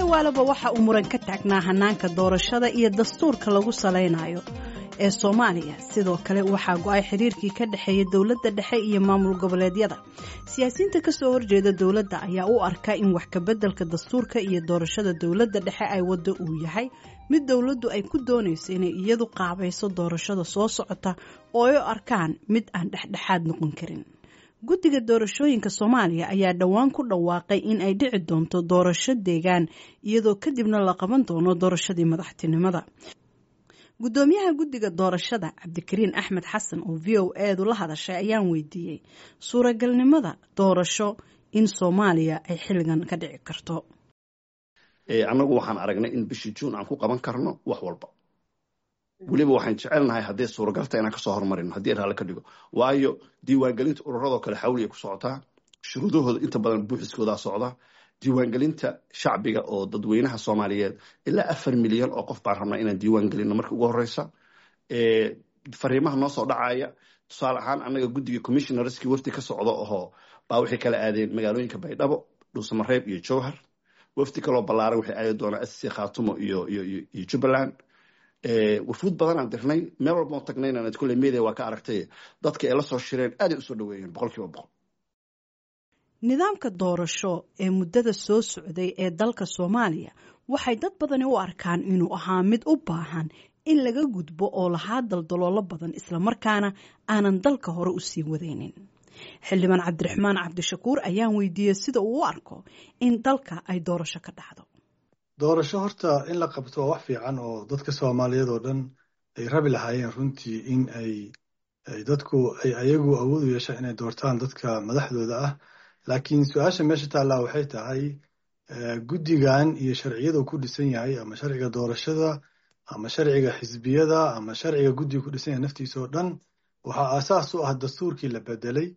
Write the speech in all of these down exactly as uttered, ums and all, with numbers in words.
Indhawaalaba waxa uu muran ka taagnaa hanaanka doorashada iyo dastuurka lagu salaynayo ee Soomaaliya. Sidoo kale waxaa go'ay xiriirkii ka dhexeeya dowladda dhexe iyo maamul goboleedyada. Siyaasiyiinta kasoo horjeeda dowladda ayaa u arka in wax kabeddelka dastuurka iyo doorashada dowladda dhexe ay waddo uu yahay mid dowladdu ay ku doonayso inay iyadu qaabayso doorashada soo socota, oo ay u arkaan mid aan dhexdhexaad noqon karin. Guddiga doorashooyinka Soomaaliya ayaa dhowaan ku dhawaaqay in ay dhici doonto doorasho deegaan, iyadoo kadibna la qaban doono doorashadii madaxtinimada. Guddoomiyaha guddiga doorashada, Cabdikariin Axmed Xasan, oo V O edu la hadashay, ayaan weydiiyey suuragalnimada doorasho in Soomaaliya ay xilligan ka dhici karto. Annagu waxaan aragnay in bishii Juun aan ku qaban karno wax walba. Weliba waxaan jecelnahay hadday suuragalta inaan kasoo hormarino, haddii raalli ka dhigo, waayo diiwaangelinta ururadoo kale xawliya ku socotaa, shuruudahooda inta badan buuxiskoodaa socda. Diiwaangelinta shacbiga oo dadweynaha Soomaaliyeed, ilaa afar milyan oo qof baan rabnaa inaan diiwaan gelino marka ugu horeysa. Fariimaha noo soo dhacaya, tusaale ahaan, annaga guddiga commissionerskii wafdi ka socdo ohoo baa waxay kala aadeen magaalooyinka Baydhabo, Dhuusamareeb iyo Jowhar. Wafdi kaloo ballaaran waxay aadi doonaa S S C Khaatumo iyo iyo iyo Jubbaland. Wafuud badanaan dirnay, meel walba oo tagnayna kulle media waa ka aragtay, dadka ay la soo shireen aaday usoo dhaweeyeen boqol kiiba boqol. Nidaamka doorasho ee muddada soo socday ee dalka Soomaaliya waxay dad badani u arkaan inuu ahaa mid u baahan in laga gudbo, oo lahaa daldaloolo badan, islamarkaana aanan dalka hore u sii wadaynin. Xildhibaan Cabdiraxmaan Cabdishakuur ayaan weydiiyey sida uu u arko in dalka ay doorasho ka dhacdo. Doorasho horta in la qabto waa wax fiican oo dadka Soomaaliyeed oo dhan ay rabi lahaayeen runtii, in ay dadku ay ayagu awood u yeeshaan inay doortaan dadka madaxdooda ah. Laakiin su-aasha meesha taallaa waxay tahay, guddigan iyo sharciyada uu ku dhisan yahay, ama sharciga doorashada ama sharciga xisbiyada ama sharciga guddiga ku dhisan yahay naftiisa oo dhan, waxaa aasaas u ah dastuurkii la bedelay,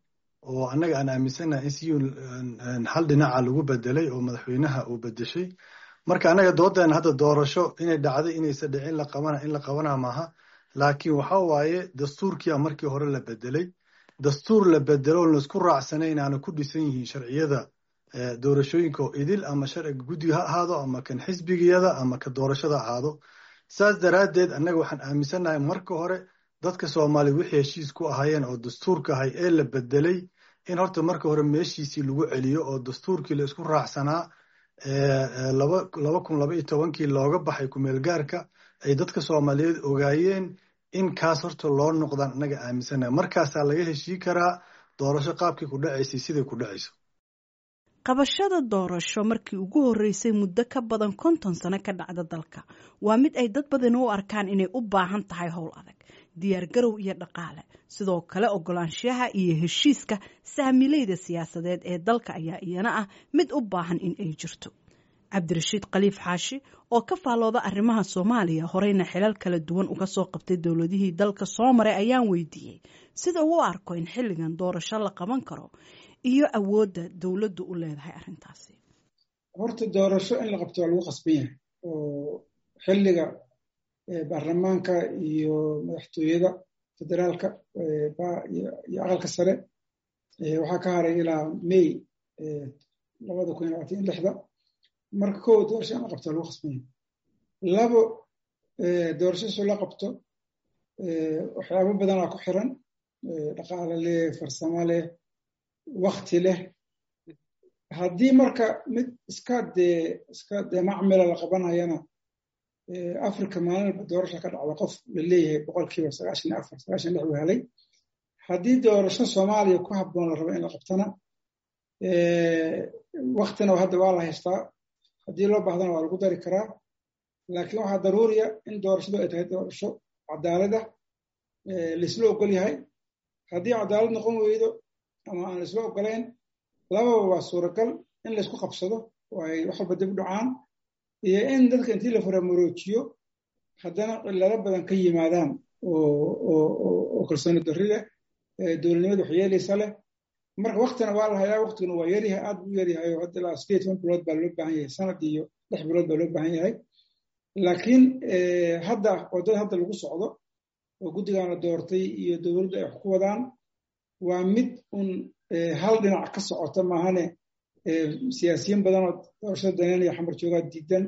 oo annaga aan aaminsannahay in si hal dhinaca lagu bedelay oo madaxweynaha uu bedeshay. Marka annaga doodeena hadda doorasho inay dhacday, inaysa dhicin, la qabana in la qabana maaha, laakiin waxa waaye dastuurkiia markii hore la bedelay. Dastuur la bedelo oon laisku raacsanayn aana ku dhisan yihiin sharciyada doorashooyinka oo idil, ama sharciga guddiga ha ahaado ama kan xisbigiyada ama ka doorashada ahaado. Saas daraaddeed annaga waxaan aaminsannahay marka hore dadka Soomaaliya wixii heshiis ku ahaayeen oo dastuurka ahay ee la bedelay in horta marka hore meeshiisii lagu celiyo, oo dastuurkii la isku raacsanaa laba kun laba iyo tobankii looga baxay kumeelgaarka ay dadka Soomaaliyeed ogaayeen, in kaas horta loo noqdaan annaga aaminsannahay. Markaasaa laga heshii karaa doorasho qaabkii ku dhacaysay, siday ku dhacayso. Qabashada doorasho markii ugu horreysay muddo ka badan konton sano ka dhacda dalka waa mid ay dad badan u arkaan inay u baahan tahay howl adag, diyaar garow iyo dhaqaale. Sidoo kale ogolaanshaha iyo heshiiska saamileyda siyaasadeed ee dalka ayaa iyana ah mid u baahan in ay jirto. Cabdirashiid Khaliif Xaashi, oo ka faallooda arrimaha Soomaaliya, horeyna xilal kala duwan uga soo qabtay dowladihii dalka soo maray, ayaan weydiiyey sida uu u arko in xilligan doorasho la qaban karo iyo awoodda dowladdu u leedahay arrintaasi. Horta doorasho in la qabto waa lagu qasban yahay, oo xilliga baarlamaanka iyo madaxtooyada federaalka iyo Aqalka Sare waxaa ka haray ilaa May labada kun iyo labaatan iyo lixda. Marka kow, doorasho in la qabto waa lagu qasban yahay. Labo, doorasho soo la qabto waxyaabo badanaa ku xiran, dhaqaale leh, farsamo leh, wakti leh. Haddii marka mid iska dee iska dee macmila la qabanayana, Africa maalin walba doorasha ka dhacda, qof la leeyahay boqolkiiba sagaashan iyo afar, sagaashan lix uu helay. Haddii doorasho Soomaaliya ku habboon la rabo in la qabtana, waktina hadda waa la haystaa, haddii loo baahdana waa lagu dari karaa. Laakiin waxaa daruuriya in doorashadu ay tahay doorasho cadaalad ah, laisla ogol yahay. Haddii cadaalad noqon weydo ama aan laisla ogolayn, lababa waa suuragal: in laysku qabsado oo ay wax walba dib u dhacaan, iyo in dadka intii la faramaroojiyo haddana cillado badan ka yimaadaan oo kalsooni darri leh, dowladnimada wax yeelaysa leh. Marka waktina waa la hayaa, waktiguna waa yaryahay, aad buu yaryahay, oo hadda ilaa sideed toban bilood baa loo baahan yahay, sanad iyo lix bilood baa loo baahan yahay. Laakiin hadda waddada hadda lagu socdo oo guddigan la doortay iyo dowladdu ay wax ku wadaan waa mid un hal dhinac ka socota maahane. Siyaasiyiin badan oo doorashada daneynaya Xamar joogaa diidan.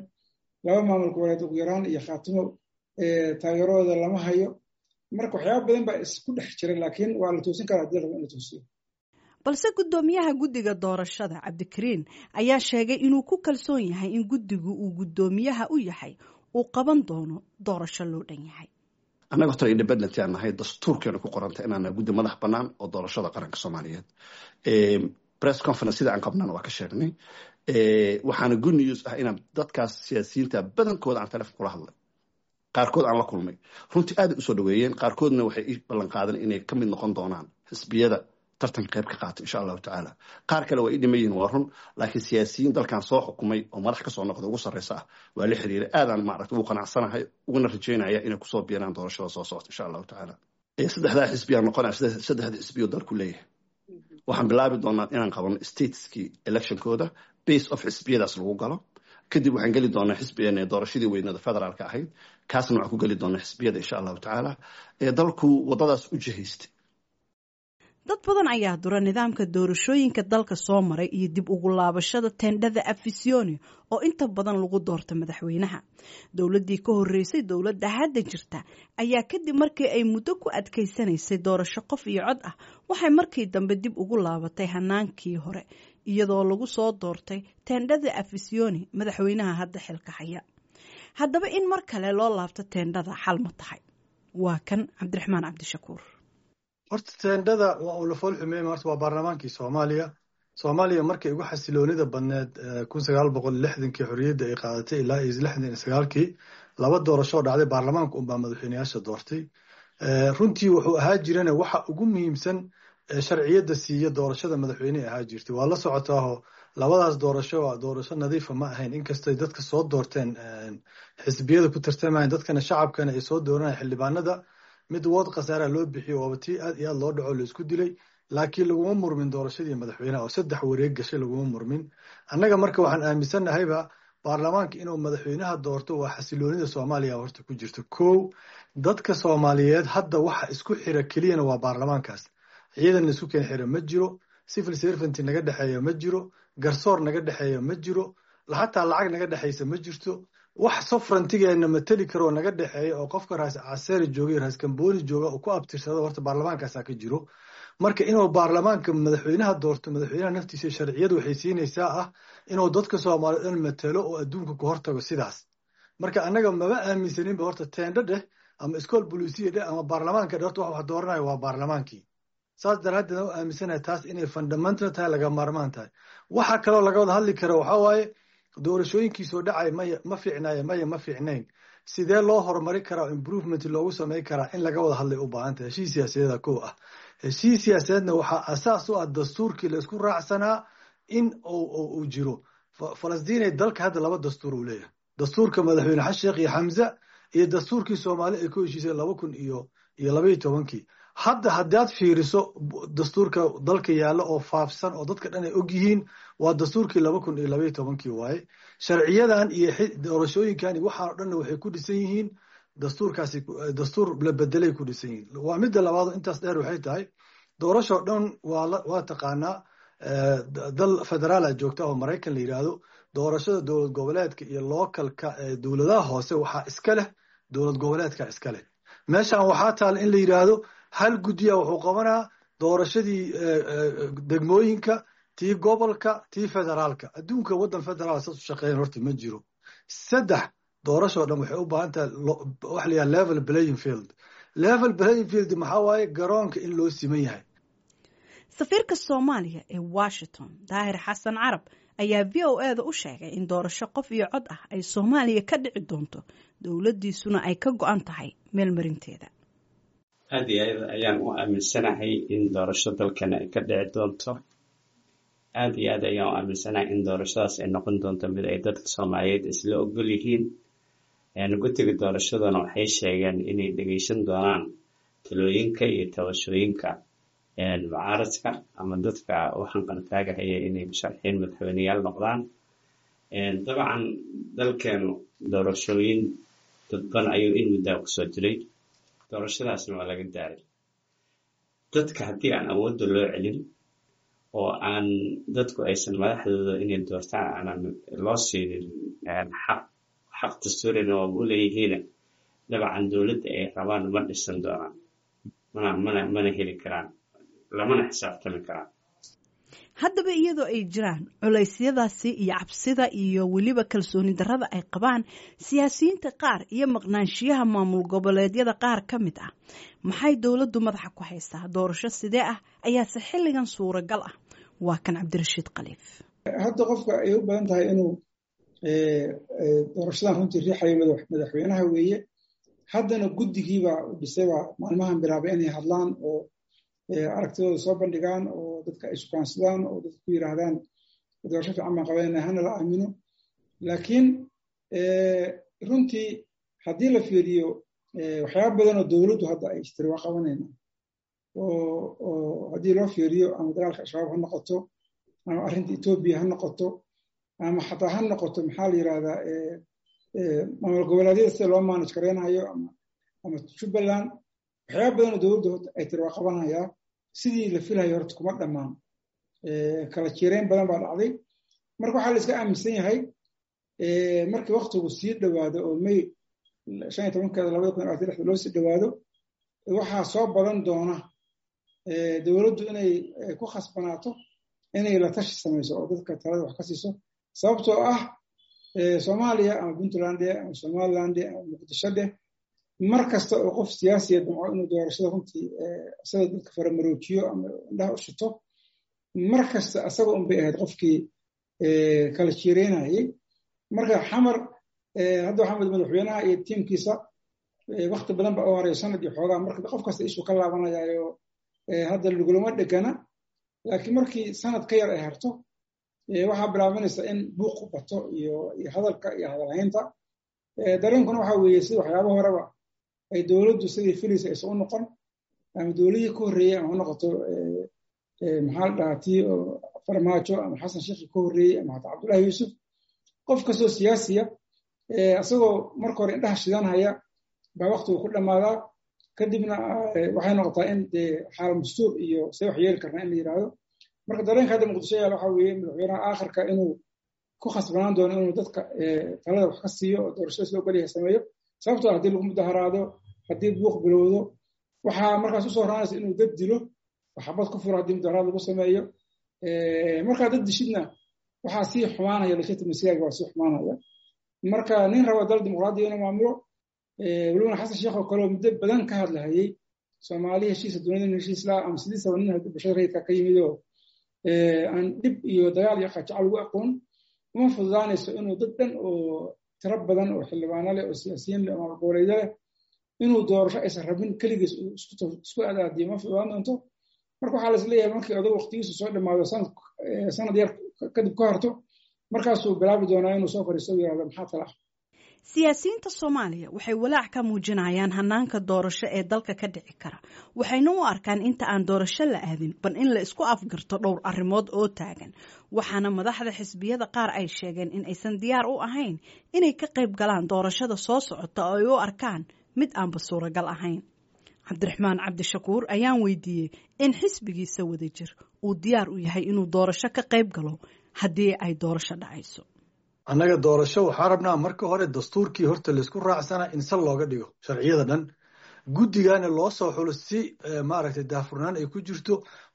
Laba maamul goboleed ugu yaraan iyo Khaatimo taageeradooda lama hayo. Marka waxyaaba badan baa isku dhex jira, laakiin waa la toosin karaa hadii la rabo in la toosiyo. Balse guddoomiyaha guddiga doorashada Cabdikariin ayaa sheegay inuu ku kalsoon yahay in guddigu uu guddoomiyaha u yahay uu qaban doono doorasho loo dhan yahay. Annaga horta independent aan nahay, dastuurkeena ku qoranta inaan nahay guddi madax bannaan oo doorashada qaranka Soomaaliyeed. Press conference sida aan qabnana waa ka sheegnay. Waxaana good news ah inaan dadkaas siyaasiyiinta badankooda aan telefon kula hadlay, qaarkood aan la kulmay, runtii aad usoo dhaweeyeen. Qaarkoodna waxay ii ballan qaadeen inay ka mid noqon doonaan xisbiyada tartanka qayb ka qaata, insha Allahu tacaala. Qaar kale waa ii dhiman yihiin, waa run, laakiin siyaasiyiin dalkan soo xukumay oo madax kasoo noqda ugu sarreysa ah waa la xiriiray. Aadaan maaragta ugu qanacsanahay uguna rajaynaya inay kusoo biiraan doorashada soo socota, insha Allahu tacaala. Saddexdaa xisbiyaan noqonaya, saddexda xisbiyo dalku leeyahay. Waxaan bilaabi doonaa inaan qabano stateskii electionkooda base of xisbiyadaas lagu galo. Kadib waxaan geli doonaa xisbi doorashadii weynada federaalka ahayd, kaasna waxaan ku geli doonaa xisbiyada, insha Allahu tacaala. Dalku wadadaas u jihaystay. Dad badan ayaa dura nidaamka doorashooyinka dalka soo maray iyo dib ugu laabashada teendhada Afisyooni oo inta badan lagu doorto madaxweynaha. Dowladdii ka horreysay dowladda hadda jirta ayaa kadib markii ay muddo ku adkaysanaysay doorasho qof iyo cod ah, waxay markii dambe dib ugu laabatay hanaankii hore, iyadoo lagu soo doortay teendhada Afisyooni madaxweynaha hadda xilka haya. Haddaba in mar kale loo laabto teendhada xal ma tahay? Waa kan Cabdiraxmaan Cabdishakuur. Horta teendhada waa uu la fool xumeeyey. Horta waa baarlamaankii Soomaaliya. Soomaaliya markay ugu xasiloonida badneed kun sagaal boqol lixdankii xorriyadda ay qaadatay ilaa iyo lixdan iyo sagaalkii, laba doorasho dhacday, baarlamaanka unbaa madaxweyneyaasha doortay. Runtii wuxuu ahaa jirana waxa ugu muhiimsan sharciyadda siiya doorashada madaxweyne ahaa jirtay. Waa la socotaaho, labadaas doorasho waa doorasho nadiifa ma ahayn, inkastay dadka soo doorteen xisbiyada ku tartamayeen, dadkana shacabkana ay soo dooranayeen xildhibaanada. Mid wood khasaara loo bixiyo, waaba tii aad iyo aad loo dhaco laisku dilay, laakiin laguma murmin doorashadii madaxweynaha oo saddex wareeg gashay laguma murmin. Annaga marka waxaan aaminsannahayba baarlamaanka inuu madaxweynaha doorto waa xasiloonida Soomaaliya horta ku jirto. Kow, dadka Soomaaliyeed hadda waxa isku xira keliyana waa baarlamaankaas. Ciidan isku keen xira ma jiro, civil servant naga dhexeeya ma jiro, garsoor naga dhexeeya ma jiro, xataa lacag naga dhexaysa ma jirto. Wax sovereigntygeena mateli karoo naga dhexeeya oo qofka Raas Caseeri jooga iyo Raas Kambooni jooga uu ku abtirsado horta baarlamaankaasaa ka jiro. Marka inuu baarlamaanka madaxweynaha doorto, madaxweynaha naftiisa sharciyadu waxay siinaysaa ah inuu dadka Soomaaliyeed dhan matelo oo adduunka ku hortago sidaas. Marka annaga maba aaminsaninba horta teendho dheh ama iskool bolisiya dheh ama baarlamaanka dheh, horta wax wax dooranayo waa baarlamaankii. Saas daraaddeed aan u aaminsanahay taas inay fundamental tahay, laga maarmaan tahay. Waxa kaloo laga wada hadli karo waxaa waaye doorashooyinkii soo dhacay maya ma fiicnaye, maya ma fiicnayn, sidee loo horumari karaa, improvement loogu samayn karaa, in laga wada hadlay u baahan tahay. Heshiis siyaasadeeda kow ah, heshiis siyaasadeedna waxaa asaas u ah dastuurkii la isku raacsanaa in uu jiro. Falastiinay dalka hadda laba dastuur uu leeyahay: dastuurka madaxweyne Xasan Sheekh iyo Xamza iyo dastuurkii Soomaali ay ku heshiisay laba kun iyo iyo labaiyo tobankii. Hadda haddaad fiiriso dastuurka dalka yaalla oo faafsan oo dadka dhan ay og yihiin waa dastuurkii laba kun iyo labaiyo tobankii waaye. Sharciyadan iyo doorashooyinkan iyo waxaan o dhanna waxay ku dhisan yihiin dastuurkaasi, dastuur la bedelay ku dhisan yihiin. Waa midda labaad. Intaas dheer waxay tahay doorasho dhan waa waa taqaanaa, dal federaala joogta oo Maraykan la yidhaahdo, doorashada dowlad goboleedka iyo localka ee dowladaha hoose waxaa iska leh dowlad goboleedka iska leh. Meeshan waxaa taala in la yidhaahdo hal guddiya wuxuu qabanaa doorashadii degmooyinka, tii gobolka, tii federaalka. Adduunka waddan federaal saas u shaqeeyan horta ma jiro. Saddex, doorashoo dhan waxay u baahan tahay waxa la yidhaha level playing field. Level playing field maxaa waaye? Garoonka in loo siman yahay. Safiirka Soomaaliya ee Washington Daahir Xasan Carab ayaa V O E da u sheegay in doorasho qof iyo cod ah ay Soomaaliya ka dhici doonto, dowladdiisuna ay ka go-an tahay meelmarinteeda. Aad iyo aad ayaan u aaminsanahay in doorasho dalkana ay ka dhici doonto. Aad iyo aad ayaan u aaminsanahay in doorashadaas ay noqon doonto mid ay dadka Soomaaliyeed isla ogol yihiin. Guddiga doorashadana waxay sheegeen inay dhegeysan doonaan talooyinka iyo tabashooyinka mucaaradka ama dadka u hanqaltaagahaya inay musharaxiin madaxweyneyaal noqdaan. Dabcan dalkeenu doorashooyin dadban ayuu in muddaa kusoo jiray, doorashadaasna waa laga daaray. Dadka haddii aan awoodda loo celin Oo aan dadku aysan madaxdooda inay doortaan aanan loo siinin xaq, xaq dastuurina waaba u leeyihiin, dabcan dowladda ay rabaan ma dhisan doonaan, mana mana mana heli karaan, lamana xisaabtami karaan. Haddaba, iyadoo ay jiraan culaysyadaasi iyo cabsida iyo weliba kalsooni darrada ay qabaan siyaasiyiinta qaar iyo maqnaanshiyaha maamul goboleedyada qaar ka mid ah, maxay dowladdu madaxa ku haysaa? Doorasho sidee ah ayaase xilligan suuragal ah? Waa kan Cabdirashiid Khaliif. Hadda qofka ay u badan tahay inuu doorashadan runtii riixayo madaxweynaha weeye. Haddana guddigiibaa dhisay, baa maalmahan bilaabay inay hadlaan oo aragtidooda soo bandhigaan oo dadka ay shukaansadaan oo dadka ku yiraahdaan doorasho fiican baan qabanayna, hana la aamino. Laakiin runtii haddii la fiiriyo waxyaaba badan oo dowladdu hadda ay istiri waa qabanayna, oo haddii loo fiiriyo ama dagaalka Al-Shabaab ha noqoto ama arrinta Etoobiya ha noqoto ama xataa ha noqoto, maxaa la yirahdaa, maamul goboleedyada sida loo manage gareynayo ama ama Jubbaland, waxyaaba badan oo dowladdu ay tiri waa qabanayaa, sidii la filayo horta kuma dhammaan. Kala jiireyn badan baa dhacday. Marka waxaa la iska aaminsan yahay markii waktigu sii dhowaado oo May shan iyo tobankeeda labada kun labaatan lixda loo sii dhowaado, waxaa soo badan doona dowladdu inay ku khasbanaato inay la tashi samayso oo dadka talada wax ka siiso, sababtoo ah Soomaaliya ama Puntland ama Somaliland ama Muqdisho dheh, mar kasta oo qof siyaasiya damco inuu doorashada runtii isaga dadka faramaroojiyo ama indhaha u shito, mar kasta asaga unbay ahayd qofkii kala jiireynayay. Marka Xamar hadda waxaa madaxweynaha iyo tiimkiisa wakti badan baa u horeya, sanad iyo xoogaa. Marka qof kasta ishuu ka laabanayaayo hadda lagulama dhegana, laakiin markii sanad ka yar ay harto, waxaa bilaabanaysa in buuqu bato iyo hadalka iyo hadalhaynta. Dareenkuna waxaa weeye sida waxyaaba horeba ay dowladdu sidii filaysa aysan u noqon, ama dowladihii ka horreeyey ama ha noqoto, maxaa la dhahaa, tii Farmaajo ama Xasan Sheekhi ka horreeyey ama xataa Cabdullahi Yuusuf, qof kastoo siyaasiya isagoo marka hore indhaha shidanhaya baa waktigu ku dhammaadaa. Kadibna waxay noqotaa in dee xaal mastuur iyo see wax yeeli karnaa in la yidhaahdo. Marka dareenka hadda Muqdisho yaal waxaa weeye madaxweynaha aakhirka inuu ku khasbanaan doono inuu dadka talada wax ka siiyo oo doorashada sida ogolyahay sameeyo, sababtoo haddii lagu mudaharaado, haddii buuq bilowdo, waxaa markaas usoo raanaysa inuu dad dilo, xabad ku furo haddii mudaharaad lagu sameeyo. Markaa dad dishidna waxaa sii xumaanaya legitimacy-gaaga, waa sii xumaanaya. Marka nin raba dal dimuqraadiya inuu maamulo, welibana Xasan Sheekh oo kale oo muddo badan ka hadlahayey Soomaali heshiisa, dunida heshiis laa, ama sidiisaba nin bulshada rayidka ka yimid oo aan dhib iyo dagaal iyo qajaco lagu aqoon, uma fududaanayso inuu dad dhan oo tiro badan oo xildhibaano leh oo siyaasiyiin leh oo maamul goboleedyo leh inuu doorasho aysan rabin keligiis isku adaadiyo, ma fududaan doonto. Marka waxaa la isleeyahay markii odag waqtigiisu soo dhammaado, sanad yar kadib ka horto, markaasuu bilaabi doonaa inuu soo fariisto yirahdo maxaa tala ah. Siyaasiyiinta Soomaaliya waxay walaac ka muujinayaan hanaanka doorasho ee dalka ka dhici kara, waxayna u arkaan inta aan doorasho la aadin bal in la isku afgarto dhowr arrimood oo taagan. Waxaana madaxda xisbiyada qaar ay sheegeen in aysan diyaar u ahayn inay ka qayb galaan doorashada soo socota oo ay u arkaan mid aanba suuragal ahayn. Cabdiraxmaan Cabdishakuur ayaan weydiiyey in xisbigiisa Wadajir uu diyaar u yahay inuu doorasho ka qayb galo haddii ay doorasho dhacayso. Annaga doorasho waxaa rabnaa marka hore dastuurkii horta laysku raacsanaa in sal looga dhigo sharciyada dhan, guddigana loo soo xulo si maaragtay daahfurnaan ay ku jirto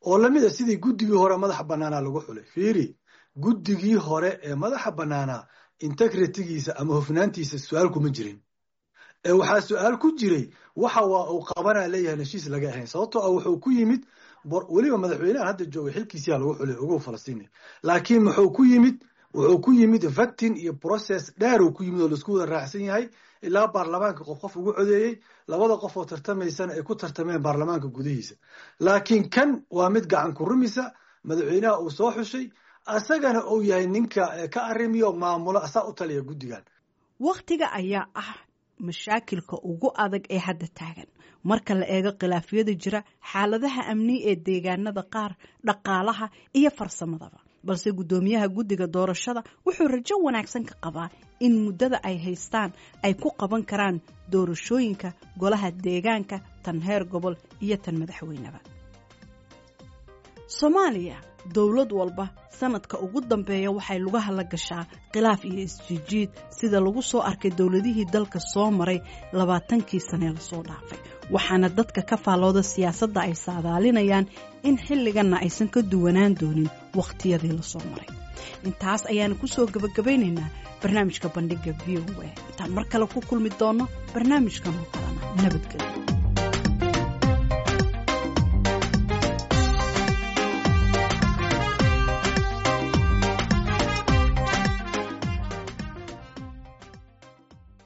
oo lamid a sidii guddigii hore madaxa bannaanaa lagu xulay. Fiiri, guddigii hore ee madaxa bannaanaa integrity-giisa ama hufnaantiisa su-aal kuma jirin. Waxaa su-aal ku jiray waxa waa uu qabanaa leeyahay heshiis laga ahayn, sababtoo ah wuxuu ku yimid weliba madaxweynahan hadda joogay xilkiisiyaa lagu xulay ugu Falastiini, laakiin muxuu ku yimid? Wuxuu ku yimid vetting iyo process dheer uu ku yimid oo laisku wada raacsan yahay, ilaa baarlamaanka qof qof ugu codeeyey, labada qof oo tartamaysana ay ku tartameen baarlamaanka gudihiisa. Laakiin kan waa mid gacan ku rumisa madaxweynaha uu soo xushay, asagana uu yahay ninka ka arrimiyo maamulo, asaa u taliya guddigan. Wakhtiga ayaa ah mashaakilka ugu adag ee hadda taagan marka la eego khilaafyada jira, xaaladaha amni ee deegaanada qaar, dhaqaalaha iyo farsamadaba. Balse guddoomiyaha guddiga doorashada wuxuu rajo wanaagsan ka qabaa in muddada ay haystaan ay ku qaban karaan doorashooyinka golaha deegaanka, tan heer gobol iyo tan madaxweyneba. Soomaaliya dowlad walba sanadka ugu dambeeya waxay lugaha la gashaa khilaaf iyo isjiijiid, sida lagu soo arkay dowladihii dalka soo maray labaatankii sanee lasoo dhaafay. Waxaana dadka ka faallooda siyaasadda ay saadaalinayaan in xilliganna aysan ka duwanaan doonin wakhtiyadii lasoo maray. Intaas ayaana kusoo gabagabaynaynaa barnaamijka Bandhiga V O A. Intaan mar kale ku kulmi doonno barnaamijkan oo kalena, nabadgelyo.